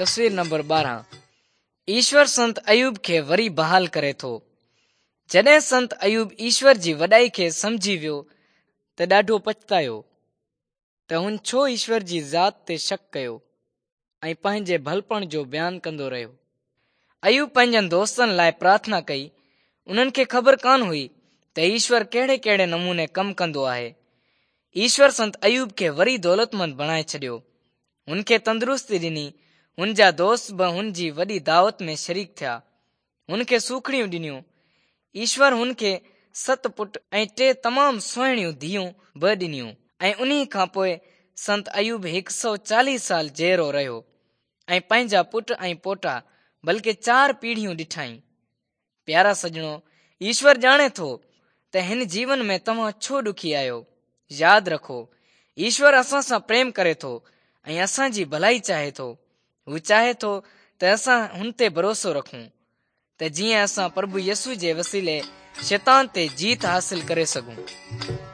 تصوير نمبر 12 ايشور سنت ايوب کي وري بحال ڪري ٿو. جڏهن سنت ايوب ايشور جي وڏائي کي سمجهي ويو ته ڏاڍو پڇتايو ته هن ڇو ايشور جي ذات تي شڪ ڪيو ۽ پنهنجي ڀلپڻ جو بيان ڪندو رهيو. ايوب پنهنجن دوستن لاء پرارٿنا ڪئي. انهن کي خبر ڪانه هئي ته ايشور ڪهڙي ڪهڙي نموني ڪم ڪندو آهي. ايشور سنت ايوب کي وري دولتمند بڻائي ڇڏيو. هن کي تندرستي ڏني. هن جا دوست به هن جي وڏي دعوت ۾ شريڪ ٿيا. هن کي سوکڙيون ڏنيون. ايشور هن کي ست پٽ ۽ ٽي تمام سهڻيون ڌيئون به ڏنيون ۽ انهي کان پوء سنت ايوب هڪ سؤ چاليهه سال جيئرو رهيو ۽ پنهنجا پٽ ۽ پوٽا بلڪه چار پيڙهيون ڏٺائين. پيارا سڄڻو، ايشور ڄاڻي ٿو ته هن جيون ۾ توهان ڇو ڏکي آهيو. ياد رکو، ايشور اسان سان پريم ڪري ٿو ۽ اسان جي ڀلائي چاهي ٿو. هو چاهي ٿو ته اسان هن تي ڀروسو رکون ته جيئن اسان پرڀو يسوع جي وسيلي شيطان تي جيت حاصل ڪري سگهون.